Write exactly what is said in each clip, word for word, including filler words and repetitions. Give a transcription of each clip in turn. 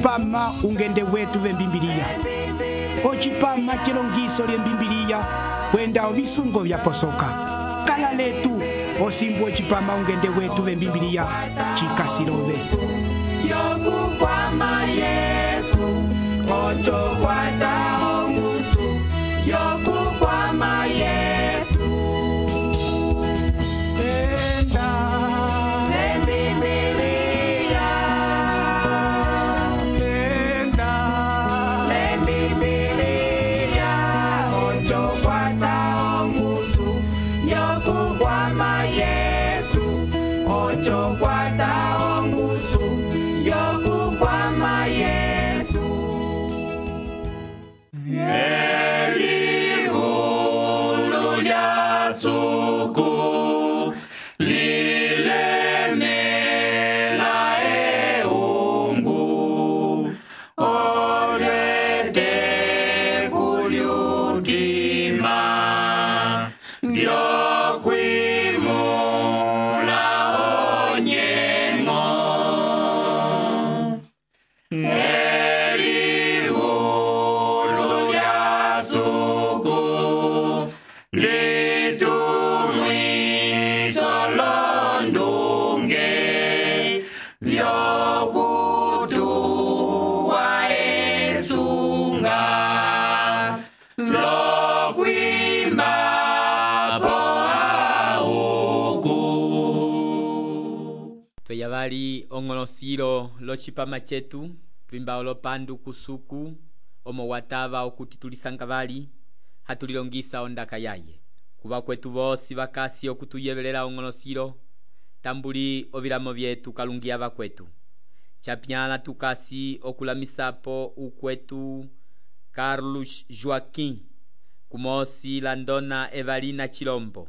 ocipama ungende wetu vembimbiliya, ocipama cilongiso lyembimbiliya kwenda ovisungo vyaposoka. Kala letu osimbu ocipama ungende wetu vembimbiliya cikasilove. Yokukwama Yesu, ocho kwata ongusu. Yokukwama Yesu, Enda lembimbiliya, enda lembimbiliya, ocho kwata ongusu. Yokukwama Yesu, ocho kwata ongusu. Yokukwama Yesu. Elihulu lya suku lilemela eungu, olete kulyutima vyokwimula onyengo. Elihulu lya suku litumwiso londunge vyokutuwa esunga lokwimba po auku. Tweya vali ong'olosilo locipama cetu twimba olopandu kusuku omo watava okuti tulisanga vali hatulilongisa ondaka yaye. Kuva kwetu vosi vakasi okutuyevelela ong'olosilo tambuli ovilamo vyetu kalungiya vakwetu. Chapyala tukasi okulamisapo ukwetu Carlos Joaquim, kumosi la ndona Evalina Chilombo.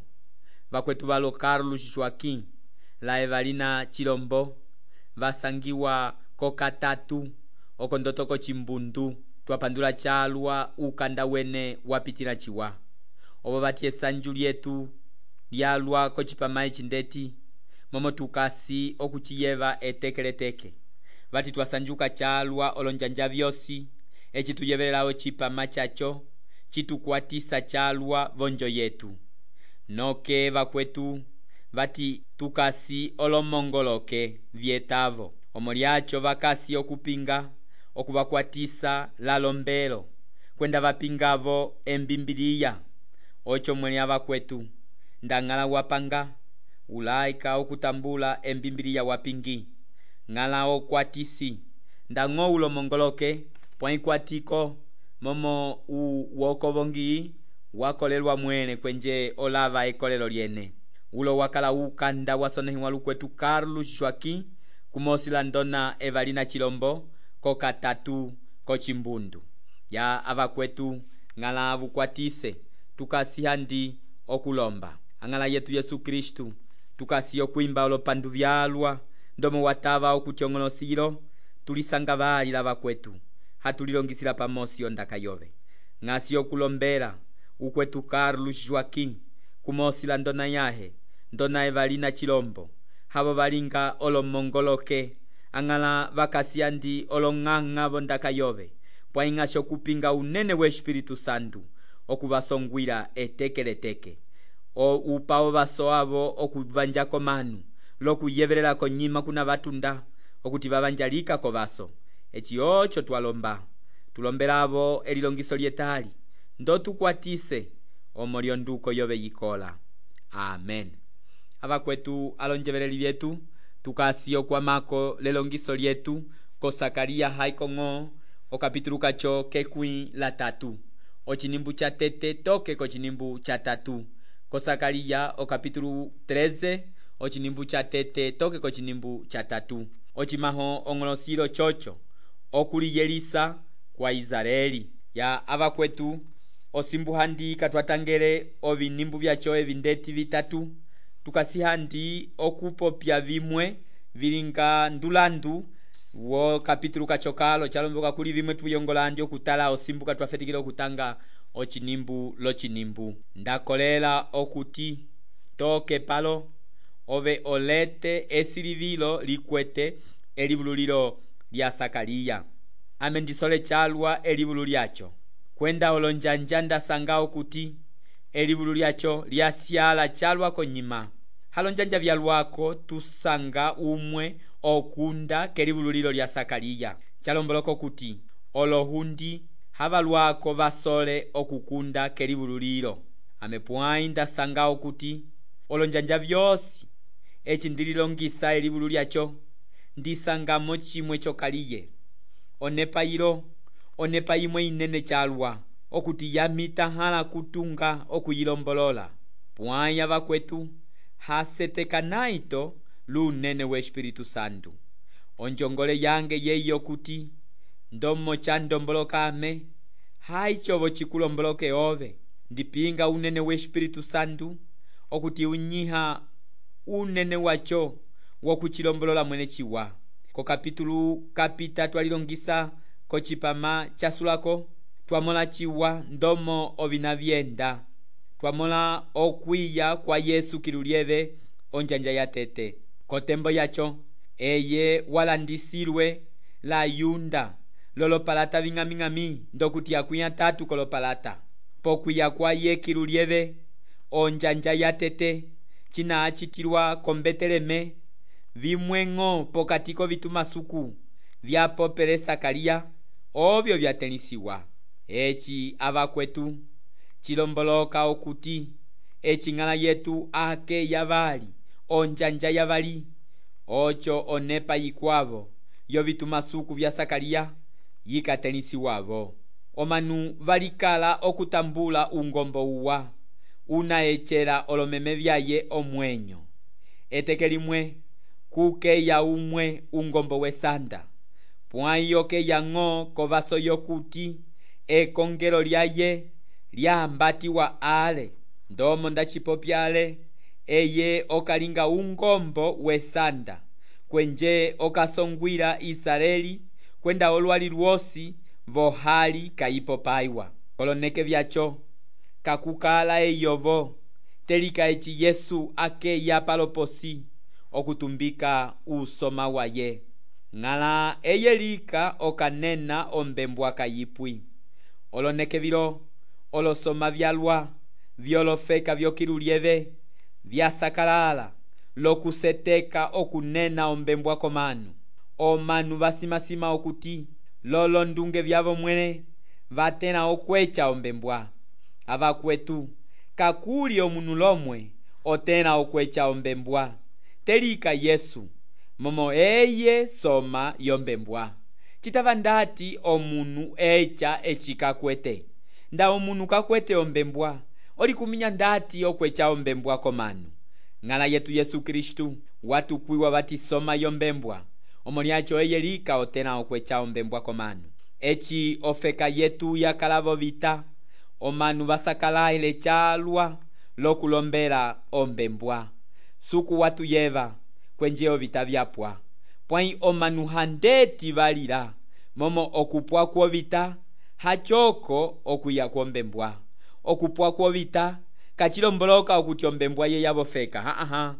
Vakwetu valo Carlos Joaquim la Evalina Chilombo vasangiwa kokatatu okondotoko chimbundu twapandula chalwa ukanda wene wapitila chiwa. Obo vatie sanju lyetu lyalwa kocipama echindeti momo tukasi okuchiyeva etekeleteke. Vati twasanjuka chalwa olonjanja vyosi echi tuyevelao chipama chacho chitukwatisa chalwa vonjo yetu. Noke vakwetu vati tukasi olomongoloke vietavo omoliacho vakasi okupinga okuvakwatisa lalombelo kwenda vapingavo embimbiliya. Ocho mwelia vakwetu ndangala wapanga ulaika okutambula embimbiliya wapingi ngala okwatisi ndango ulo mongoloke pwaikwatiko momo uwokovongi wakolelwa mwene kwenje olava ekolelo lyene. Ulo wakala ukanda wasonehiwa lukwetu Carlos Joaquim kumosi la ndona Evalina Chilombo kokatatu kochimbundu ya avakwetu ngala avukwatise tukasi handi okulomba angala yetu Yesu Kristu tukasi okwimba olopandu vyalwa ndomo watava okuchong'olosilo tulisanga vali lavakwetu hatulilongisila pamosi ondaka yove ngasi okulombela ukwetu Carlos Joaquim kumosi la ndona yahe ndona Evalina Chilombo havo valinga olomongoloke angala vakasi andi olong'ang'a vondaka yove pwaingasho kupinga unene we Espiritu Santu okuvasongwila etekeleteke o upao vaso avo okuvanjako manu lokuyevelela konyima kuna vatunda okuti vavanjalika ko vaso. Echi ocho twalomba tulombelavo elilongiso lyetali ndo tukwatise omolio nduko yove yikola. Amen. Avakwetu alonjeveleli vyetu tukasi okwamako lelongiso lyetu ko Sakaria haikong'o okapitulu kacho kekwi la tatu ochinimbu cha tete toke ko chinimbu cha tatu ko Sakaria okapitulu treze ochinimbu cha tete toke ko chinimbu cha tatu. Ochimaho ong'olosilo chocho okuliyelisa kwa Israeli ya avakwetu osimbu handi katwatangele ovinimbu vyacho evindeti vitatu tukasi handi okupopya vimwe vilinga ndulandu wo kapitulu kachokalo chalomboka kuli vimwe tuyongolandi okutala osimbuka twafetikile okutanga ochinimbu lochinimbu. Ndakolela okuti toke palo ove olete esilivilo likwete elivululilo lya Sakaria ame ndisole chalwa elivulu lyacho. Kwenda olonjanja ndasanga okuti elivulu lyacho lyasyala chalwa konyima. Halonjanja vyalwako tusanga umwe okunda kelivulu lilo lya Sakaliya. Chalomboloko kuti olohundi havalwako vasole okukunda kelivulu lilo. Ame pwai ndasanga okuti olonjanja vyosi eci ndililongisa elivulu lyacho ndisangamo chimwe chokaliye. Onepa ilo onepa imwe inene chalwa okuti yamita hala kutunga okuyilombolola. Pwai avakwetu haseteka naito lunene we Espiritu Santo. Onjongole yange yeyo kuti ndomo cha ndomboloka ame haichovo chikulomboloke ove. Ndipinga unene we Espiritu Santo okuti unyiha unene wacho wokuchilombolola mwene chiwa. Ko kapitulu kapita twalilongisa ko chipama chasulako twamola chiwa ndomo ovina vyenda. Twamola okwiya kwa Yesu kilulieve onjanja ya tete. Kotembo yacho eye walandisilwe la yunda lolopalata ving'aming'ami ndokuti akuya tatu kolopalata. Pokwiya kwa ye kilulieve onjanja ya tete china achitilwa kombeteleme vimwengo pokatiko vitumasuku vyapopele Sakaliya ovyo vyatelisiwa. Echi avakwetu chilomboloka okuti eching'ala yetu ake yavali onjanja yavali ocho onepa ikwavo yo vitumasuku vya Sakaliya yikatelisiwavo. Omanu valikala okutambula ungombo uwa unaechela olomeme vyaye omwenyo. Eteke limwe kukeya umwe ungombo wesanda. Pwai yokeya ng'o kovaso yokuti ekongelo lyaye lyahambatiwa ale. Ndomo ndachipopyale eye okalinga ungombo wesanda kwenje okasongwila Israeli kwenda olwali lwosi vohali kaipopaiwa. Koloneke vyacho kakukala eyovo telika echi Yesu akeya paloposi okutumbika usoma waye. Ng'ala eyelika okanena ombembwa kayipwi. Oloneke vilo olosoma vyalwa vyolofeka vyokilulieve vyasakalala lokuseteka okunena ombembwa komanu. Omanu vasimasima okuti lolo ndunge vyavo mwene vatena okwecha ombembwa. Avakwetu kakuli omunu lomwe otena okwecha ombembwa telika Yesu momo eye soma yombembwa. Chitava ndati omunu echa echikakwete. Nda omunu kakwete ombembwa oli kuminya ndati okwecha ombembwa komanu. Ng'ala yetu Yesu Kristu watukwiwa vatisoma yombembwa omoliacho eye lika otena okwecha ombembwa komanu. Echi ofeka yetu yakalavo vita omanu vasakalaile chalwa lokulombela ombembwa. Suku watu yeva kwenjeo vita vyapwa. Pwai omanu handeti valila momo okupwa kwa vita hachoko okuya kwa ombembwa. Okupwa kwa vita kachilomboloka okuti ombembwa ye yavofeka. Ha aha.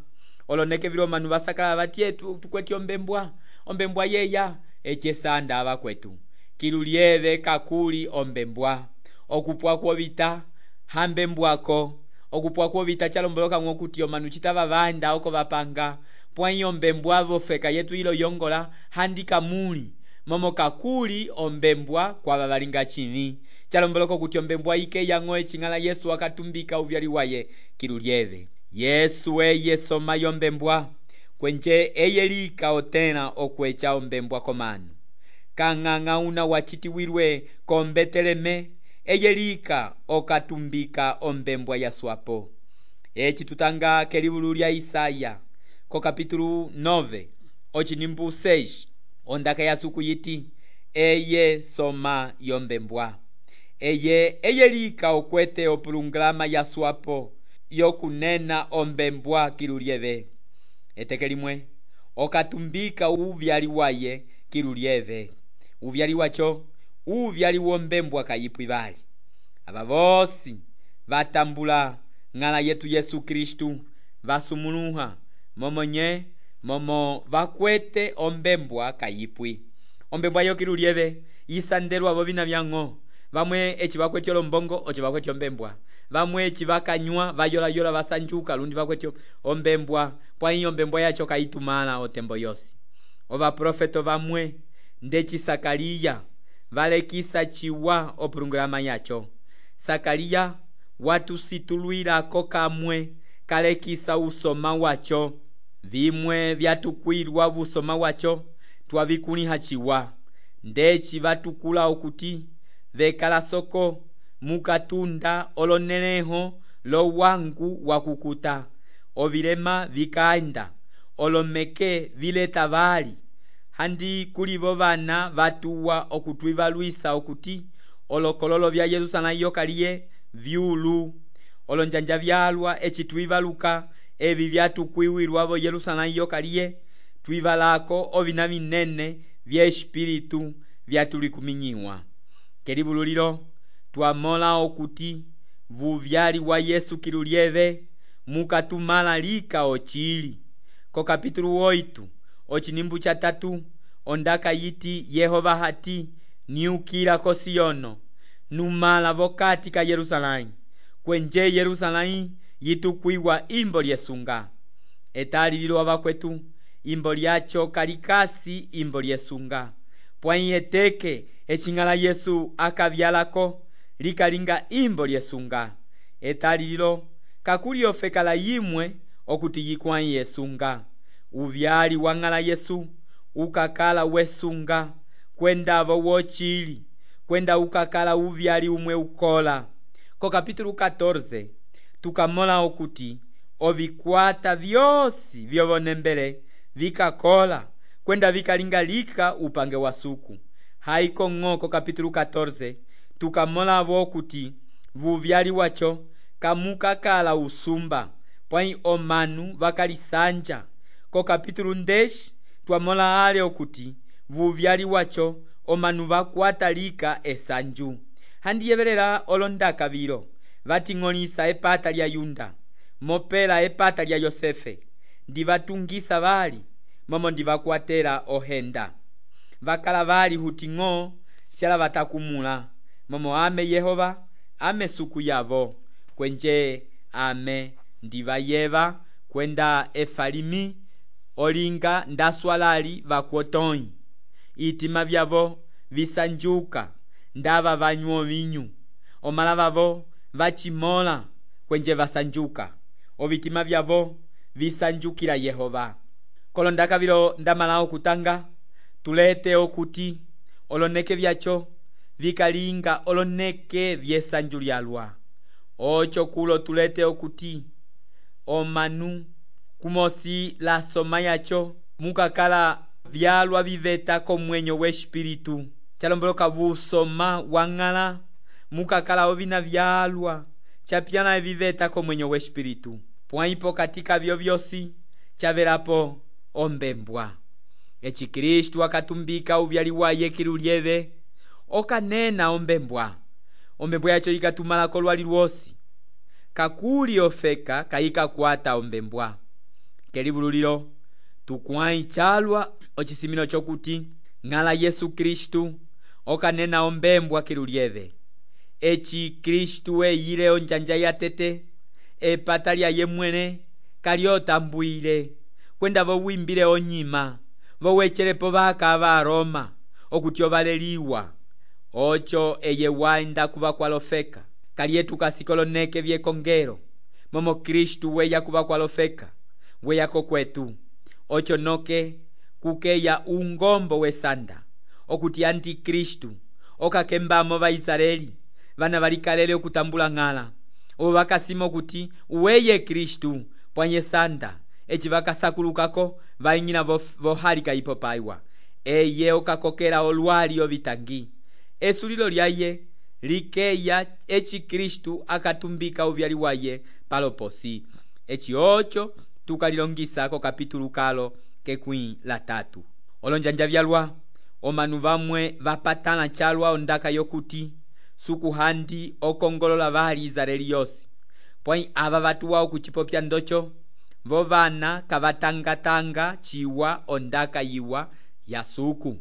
Oloneke vilo manu vasakala vatietu tukweti ombembwa. Ombembwa ye ya eche sanda avakwetu. Kilulieve kakuli ombembwa. Okupwa kwa vita hambembwako. Okupwa kwa vita chalomboloka ngokuti omanu chitava vanda oko vapanga. Pwai ombembwa vofeka yetu ilo yongola handika muli. Momo kakuli ombembwa kwa vavalinga chini. Chalomboloko kuti ombembwa ike yango eching'ala Yesu wakatumbika uvyali waye kilulieve. Yesu eye soma yombembwa kwenje eye lika otena okwecha ombembwa komanu. Kang'ang'a una wachitiwilwe kombeteleme eye lika okatumbika ombembwa ya swapo. Echi tutanga kelivulu lya Isaya ko kapitulu nove ochinimbu seis ondaka ya suku yiti eye soma yombembwa. Eye eye lika okwete opulunglama ya swapo yokunena ombembwa kilulieve. Eteke limwe okatumbika uvyali waye kilulieve. Uvyali wacho uvyali wombembwa kayipwi vali. Ava vosi vatambula ng'ala yetu Yesu Kristu vasumuluha momonye momo vakwete ombembwa kayipwi. Ombembwa yo kilulieve isandelwa vo vina vyang'o. Vamwe eci vakwetya olombongo oci vakwetya ombembwa. Vamwe eci vakanywa vayola-yola vasanjuka lundi vakwetya ombembwa. Pwai ombembwa yacho kaitumala otembo yosi. Ovaprofeto vamwe ndeci Sakaliya valekisa ciwa opulungulama yacho. Sakaliya watusitulwilako kamwe kalekisa usoma wacho. Vimwe vyatukwilwa busoma wacho twavikuliha ciwa. Ndeci vatukula okuti vekala soko mukatunda oloneleho lo wangu wakukuta. Ovilema vikaenda olomeke vileta vali. Handi kulivo vana vatuwa okutwivalwisa okuti olokololo vya Yerusalemu kaliye vyulu. Olonjanja vyalwa eci twivaluka evi vyatukwiwilwa vo Yerusalemu kaliye twivalako ovina vinene vya espiritu vyatulikuminyiwa. Kelivululilo twamola okuti vuvyali wa Yesu kilulieve mukatumala lika ochili. Ko kapitulu oito ochinimbu cha tatu ondaka yiti Yehova hati niukila ko Siono numala vokati ka Yerusalemu. Kwenje Yerusalemu yitukwiwa imbo lyesunga. Etali lilo avakwetu imbo lyacho kalikasi imbo lyesunga. Pwai eteke echingala Yesu akavyalako likalinga imbo lyesunga. Etali lilo kakuli ofekala yimwe okuti yikwai yesunga. Uvyali wangala Yesu ukakala wesunga kwenda vo wochili kwenda ukakala uvyali umwe ukola. Ko kapitulu catorze tukamola okuti ovikwata vyosi vyovonembele vikakola kwenda vikalingalika upange wa suku. Haiko ng'oko kapitulu catorze tukamola vo okuti vuvyali wacho kamukakala usumba pwai omanu vakalisanja. Ko kapitulu ndeshi twamola ale okuti vuvyali wacho omanu vakwata lika esanju. Handiyevelela olondaka vilo vating'olisa epata lya Yunda mopela epata lya Yosefe ndivatungisa vali momo ndivakwatela ohenda. Vakala vali huting'o syala vatakumula momo ame Yehova ame suku yavo. Kwenje ame ndivayeva kwenda efalimi olinga ndaswalali vakwotoi. Itima vyavo visanjuka ndava vanywa vinyu. Omala vavo vachimola kwenje vasanjuka. Ovitima vyavo visanjukila Yehova. Kolondaka vilo ndamala okutanga tulete okuti oloneke vyacho vikalinga oloneke vyesanju lyalwa. Ocho kulo tulete okuti omanu kumosi la soma yacho mukakala vyalwa viveta komwenyo we espiritu. Chalomboloka busoma wangala mukakala ovina vyalwa chapiana viveta komwenyo we espiritu. Pwaipo katika vyo vyosi chavelapo ombembwa. Echi Kristu akatumbika uvyali waye kilulieve okanena ombembwa. Ombembwa yacho ikatumala kolwali lwosi. Kakuli ofeka kaika kwata ombembwa. Kelivululilo tukwai chalwa ochisimino chokuti ngala Yesu Kristu okanena ombembwa kilulieve. Echi Kristu eyile onjanja yatete epata lya yemwene kaliotambuile kwenda vo wimbile onyima vo wechelepo vaka va Roma okuti ovaleliwa. Ocho eye waenda kuva kwalofeka kalietu kasikoloneke vyekongelo momo Kristu weya kuva kwalofeka weyako kwetu. Ocho noke kukeya ungombo wesanda okuti antikristu okakembamo va Israeli vana valikalele okutambula ng'ala obo vakasima okuti uweye Kristu pwanye sanda eci vakasakulukako vaing'ina vohalika ipo paiwa eye okakokela olwali ovitangi. Esulilo lyaye likeya eci Kristu akatumbika uvyali waye paloposi. Eci ocho tukalilongisako kapitulu kalo kekwi la tatu. Olonjanja vyalwa omanu vamwe vapatana chalwa ondaka yokuti sukuhandi okongolola vali Israeli yosi. Pwai ava vatuwa okuchipopya ndocho vo vana kavatangatanga chiwa ondaka yiwa ya suku.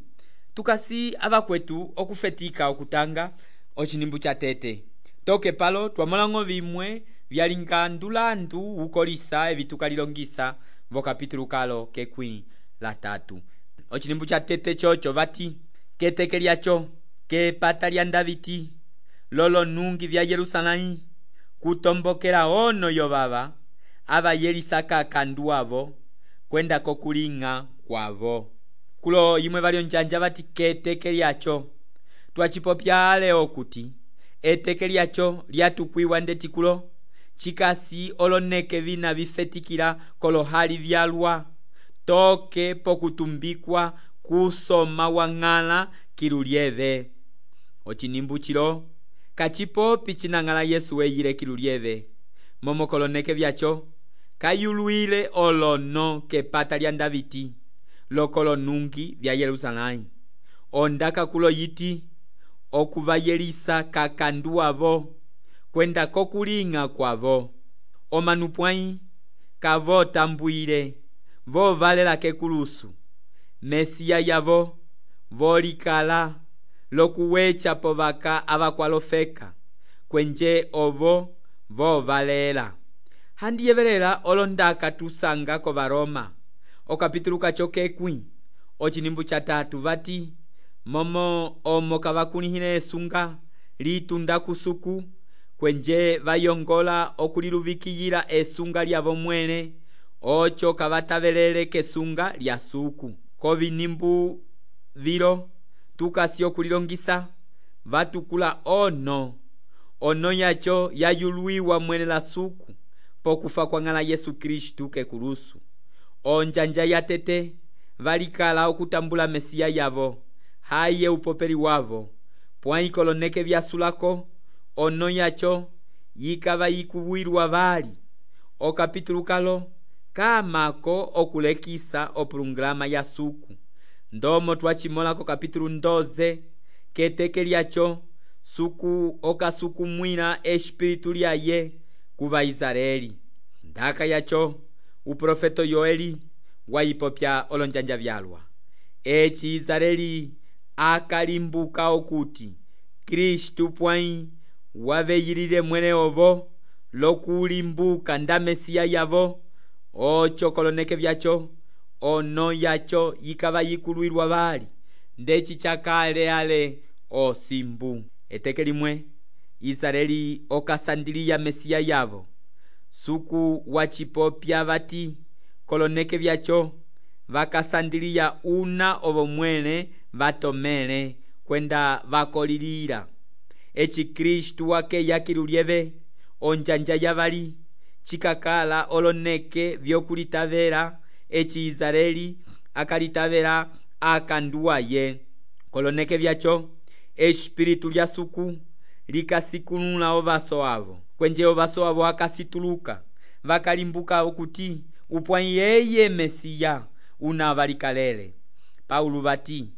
tukasi abakwetu okufetika okutanga ochinimbu cha tete toke palo twamolango bimwe byalinga ndulandu ukolisa ebitukalilongisa vo kapitulu kalo kekwi la tatu. Ochinimbu cha tete chocho bati keteke lyacho kepata lya Davidi lolo nungi vya Yerusalemu kutombokela ono yo baba abayelisaka kanduavo kwenda kokulinga kwavo. Kulo yimwe balio njanja bati keteke lyacho twachipopyale okuti eteke lyacho lyatukwiwa ndetikulo chikasi oloneke vina bifetikila kolohali vyalwa toke pokutumbikwa kusoma wang'ala kilulyeve. Ochinimbu chilo kachipopi chinang'ala Yesu weyile kilulyeve momo koloneke vyacho kayulwile olono kepata lya Davidi lokolo nungi vya Yerusalemu ondaka kulo yiti okubayelisa kakanduavo kwenda kokulinga kwavo omanupwai kavo tambuile vo valela kekulusu Mesiya yavo volikala lokuwecha povaka abakwalofeka kwenje ovo vo valela. Handiyevelela olondaka tusanga ko Baroma okapitulu kacho kekwi ochinimbu cha tatu bati momo omo kabakunihile esunga litunda kusuku kwenje bayongola okuliluvikiyila esunga lyavo mwene ocho kabatabelele kesunga lya suku ko binimbu vilo tukasi okulilongisa batukula ono ono yacho yayulwiwa mwene la suku pokufa kwa ng'ala Yesu Kristu kekulusu. Onjanja ya tete valikala okutambula Mesiya yavo haye upopeli wavo pwai koloneke vyasulako ono yacho yikava yikuwilwa bali okapitulu kalo kamako okulekisa opulungrama ya suku ndomo twachimolako kapitulu ndoze keteke lyacho suku okasukumwila espiritu lyaye kuva Israeli. Ndaka yacho uprofeto Yoeli wayipopya olonjanja vyalwa echi Israeli akalimbuka okuti Kristu pwai waveyilile mwene ovo lokulimbuka nda Mesiya yavo ocho koloneke vyacho ono yacho yikava yikulwilwa bali ndechi chakale ale osimbu. Eteke limwe Israeli okasandiliya Mesiya yavo suku wachipopya bati koloneke vyacho vakasandiliya una ovo mwene vatomele kwenda vakolilila echi Kristu wake yakilulyeve onjanja yavali chikakala oloneke vyokulitavela echi Israeli akalitavela akanduwaye koloneke vyacho espiritu lya suku likasikunula ovaso avo kwenje ovaso avo akasituluka vakalimbuka okuti upwai yeye Mesiya una valikalele. Paulo bati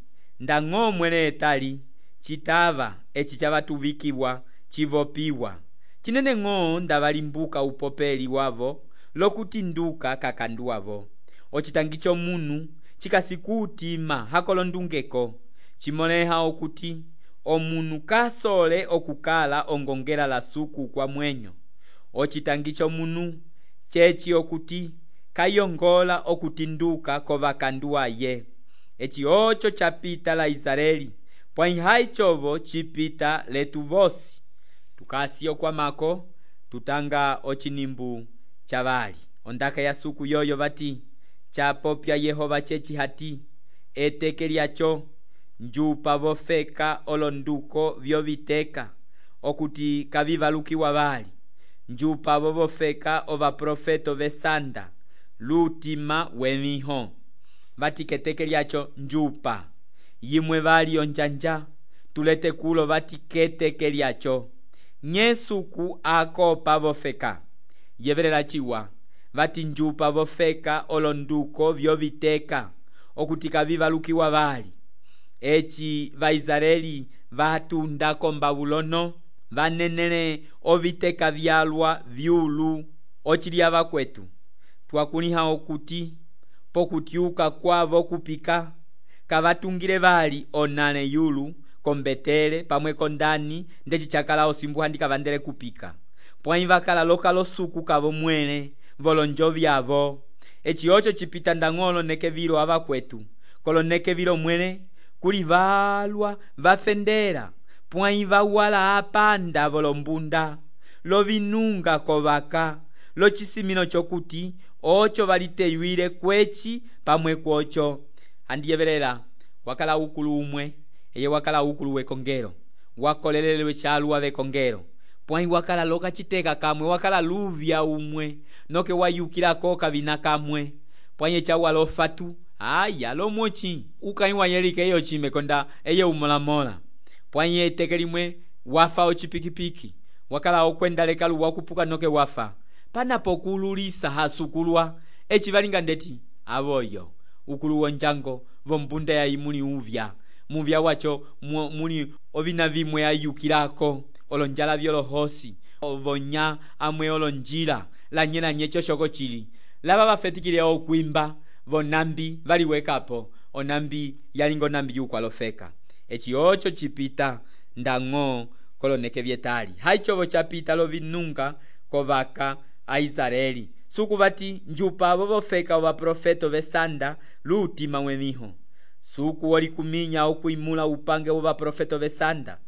ndang'o mwene etali chitava echi chavatuvikiwa chivopiwa chinene ng'o ndavalimbuka upopeli wavo lokutinduka kakanduavo ochitangicho munu chikasikutima hakolondungeko chimoleha okuti omunu kasole okukala ongongela la suku kwa mwenyo ochitangicho munu chechi okuti kayongola okutinduka kovakanduaye echi ocho chapita la Israeli pwai haichovo chipita letu vosi tukasi okwamako tutanga ochinimbu chavali ondaka ya suku yoyo bati chapopya Yehova chechi hati eteke lyacho njupa vofeka olonduko vyoviteka okuti kavivalukiwa bali njupa vovofeka ova profeto vesanda lutima wemiho bati keteke lyacho njupa yimwe bali onjanja tulete kulo bati keteke lyacho nyesuku akopa vofeka yevelela chiwa bati njupa vofeka olonduko vyoviteka okuti kavivalukiwa bali echi vaisraeli vatunda kombabulono vanenele oviteka vyalwa vyulu ochilya vakwetu twakuniha okuti pokutyuka kwavo kupika kavatungile vali onale yulu kombetele pamwe kondani ndeci chakala osimbu handi kavandele kupika pwai vakala loka losuku kavo mwele volonjo vyavo eci ocho chipita ndang'olo neke vilo avakwetu koloneke vilo mwele kuli valwa vafendera pwai vawala apanda volombunda lovinunga kovaka lochisimino chokuti ocho valiteyuile kwechi pamwe kwocho handiyevelela wakala ukulu umwe eye wakala ukulu wekongelo wakolelelwe chalwa vekongelo pwai wakala loka chiteka kamwe wakala luvya umwe noke wayukilako kavina kamwe pwai echawa lofatu aya lomochi ukaiwa yelike eyo chime konda eye umolamola pwai eteke limwe wafa ochipikipiki wakala okwenda lekalu wakupuka noke wafa panapo kululisa hasukulwa echi valinga ndeti avoyo ukulu wonjango vombunda ya imuli uvya muvya wacho muli ovina vimwe ayukilako olonjala vyolohosi ovonya amwe olonjila lanyela nyecho shoko chili lava vafetikile okwimba vonambi valiwekapo onambi yalingo nambi yukwalofeka echi ocho chipita ndang'o koloneke vyetali haichovo chapita lovinunga kovaka a Israeli suku vati njupa avo vofeka wa profeto vesanda lutima wemiho suku walikuminya okuimula upange wa profeto vesanda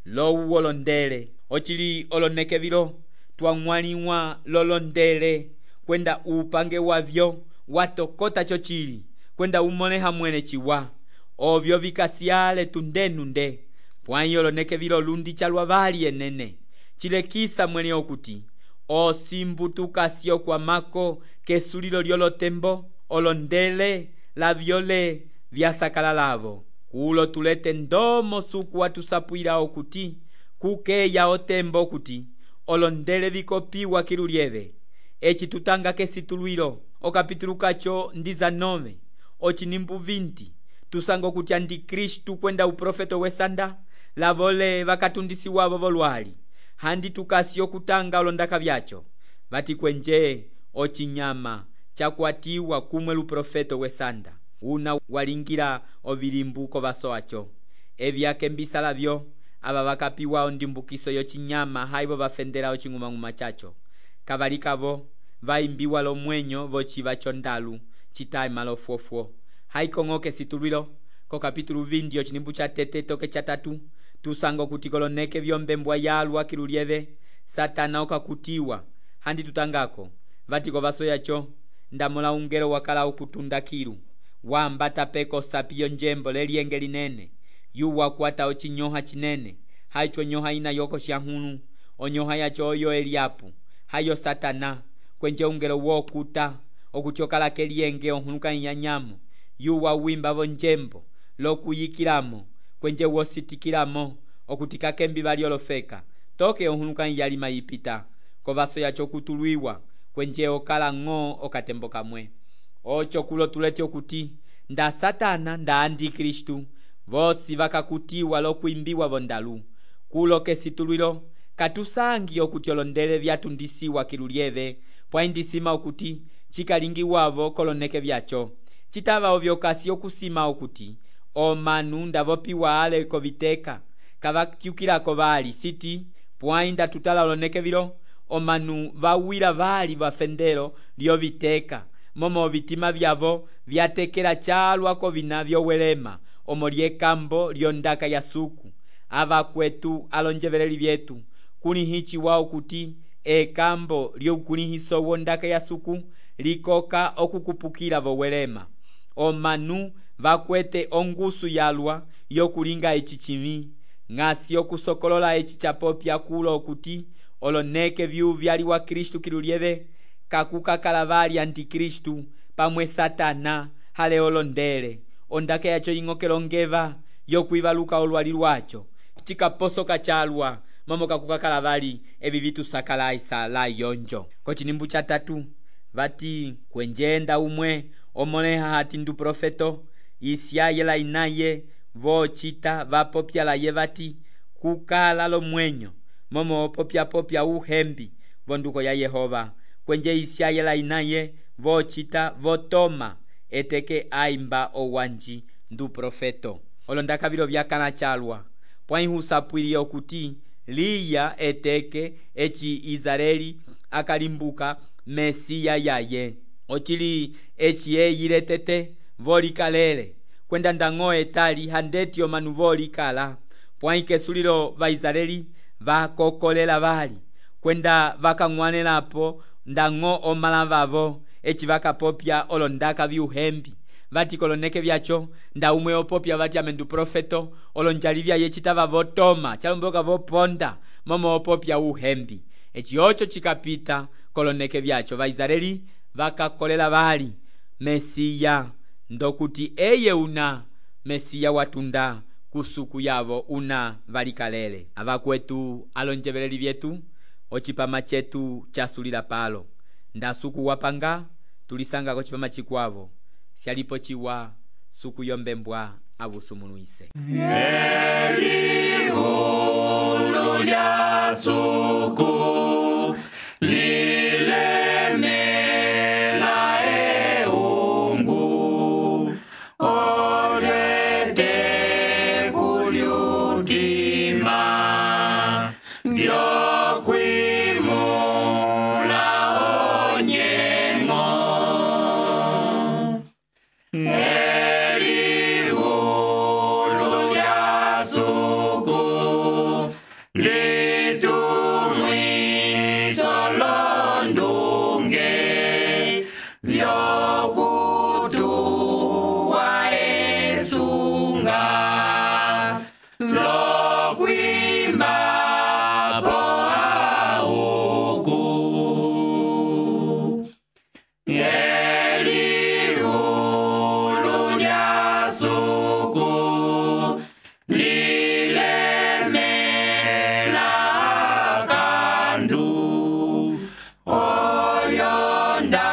lowu olondele ochili oloneke vilo twang'waliwa lolondele kwenda upange wavyo watokota chochili kwenda umoleha mwene chiwa ovyo vikasiale tundenunde pwai oloneke vilo lundi chalwa vali enene chilekisa mwene okuti osimbu tukasio kwa mako kesulilo lyolotembo olondele lavyole vyasakala lavo kulo tulete ndomo suku watusapwila okuti kukeya otembo okuti olondele vikopiwa kilulieve echi tutanga kesitulwilo okapitulu kacho ndiza nove ochinimbu vinti tusango kuti andikristu kwenda uprofeto wesanda lavole vakatundisi wavo volwali handi tukasi okutanga olondaka vyacho vati kwenje ochinyama chakwatiwa kumwe luprofeto wesanda una walingila ovilimbuko vaso acho evyake mbisala vyo ava vakapiwa ondimbukiso yochinyama haivo vafendela oching'umang'uma chacho kavalikavo vaimbiwa lomwenyo vochiva chondalu chitae malofuofuo haikong'oke situlwilo ko kapitulu vindi ochinimbu cha tete toke cha tatu tusango kuti koloneke vyombembwa yalwa kilulieve satana okakutiwa handi tutangako vatiko vaso yacho ndamola ungelo wakala ukutunda kilu wambata peko sapiyo njembo lelienge linene yuwa kwata ochinyoha chinene haicho nyoha ina yoko shahunu onyoha yacho oyo Eliapu hayo satana kwenje ungelo wokuta okuchokala kelienge onhunuka inyanyamo yuwa wimba vonjembo lokuyikilamo kwenje wositikilamo okutika kembi valiolofeka toke onhunuka iyali mayipita kovaso yacho kutulwiwa kwenje okala ng'o okatembo kamwe ocho kulo tulete okuti nda satana nda andikristu vosi vakakutiwa lokuimbiwa vondalu kulo kesitulwilo katusangi okuti olondele vyatundisiwa kilulieve pwaindisima okuti chikalingiwavo koloneke vyacho chitava ovyokasi okusima okuti omanu ndavopiwa ale koviteka kavakyukilako vali siti pwainda tutala oloneke vilo omanu vawila vali vafendelo lyoviteka momo vitima vyavo vyatekela chalwa kovina vyowelema omo lyekambo lyondaka ya suku avakwetu alonjeveleli vyetu kulihichi wao kuti ekambo lyokulihiso wondaka ya suku likoka okukupukila vowelema omanu vakwete ongusu yalwa yokulinga echi chimi ng'asi okusokolola echi chapopya kulo okuti oloneke vyu vyaliwa Kristu kilulieve kakukakala vali antikristu pamwe satana hale olondele ondaka yacho ing'okelongeva yokwivaluka olwali lwacho chikaposoka chalwa mamo kakukakala vali evi vitu sakalaisa la yonjo kochinimbu cha tatu vati kwenjenda umwe omoleha hati ndu profeto isiayela inaye vochita vapopya la ye vati kukala lomwenyo momo popya popya uhembi vonduko ya Yehova kwenje isiayela inaye vochita votoma eteke aimba owanji ndu profeto olondaka vilo vyakala chalwa pwaihusapwiliye okuti liya eteke eci Israeli akalimbuka Mesiya yaye ochili eci eyile tete volikalele kwenda ndang'o etali handeti omanu volikala pwaikesulilo va Israeli vakokolela vali kwenda vakang'wanelapo ndang'o omala vavo eci vakapopya olondaka viuhembi vati koloneke vyacho nda umwe opopya vati amendu profeto olonjali vyaye citava votoma chalomboka voponda momo opopya uhembi eci ocho cikapita koloneke vyacho va Israeli vakakolela vali Mesiya ndokuti eye una Mesiya watunda kusuku yavo una valikalele avakwetu alonjeveleli vyetu ocipama chetu chasulila palo ndasuku wapanga tulisanga ko cipama chikwavo sialipo chiwa suku yombembwa avusumunuise Elihu lya suku lilemela eungu olete kulyutima vyokwimula onyengo Elihu lya suku litumwiso londunge vyokutuwa esunga lokwima po auku Elihu lya suku lilemela kandu oyondaka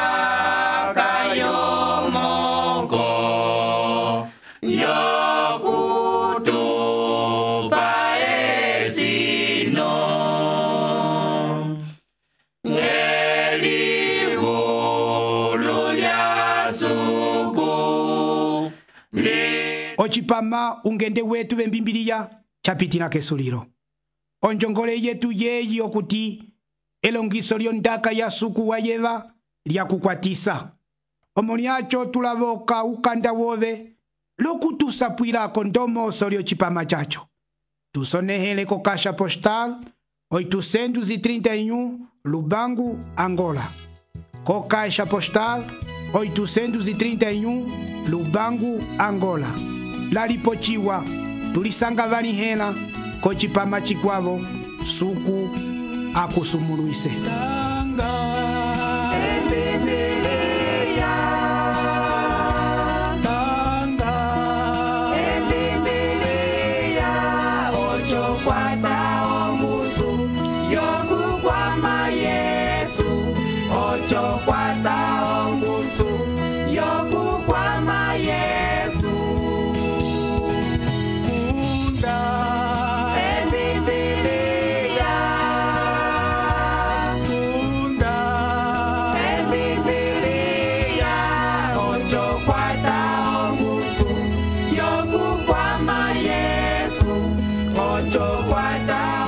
yomoko yokutupa esino Elihu lya suku li ocipama ungende wetu vembimbiliya chapitila kesulilo onjongole yetu yeyi okuti elongiso lyondaka ya suku wayeva lyakukwatisa omo lyacho tulavoka ukanda wove lokutusapwilako ndomoso lyocipama chacho tusonehele ko kasha postal oitocentos e trinta e um Lubango, Angola. Co caixa postal oitocentos e trinta e um Lubango, Angola. Lalipochiwa tulisanga vanihela kochipama chikwavo suku akusumuluise. Yoku kwama Yesu, ocho kwata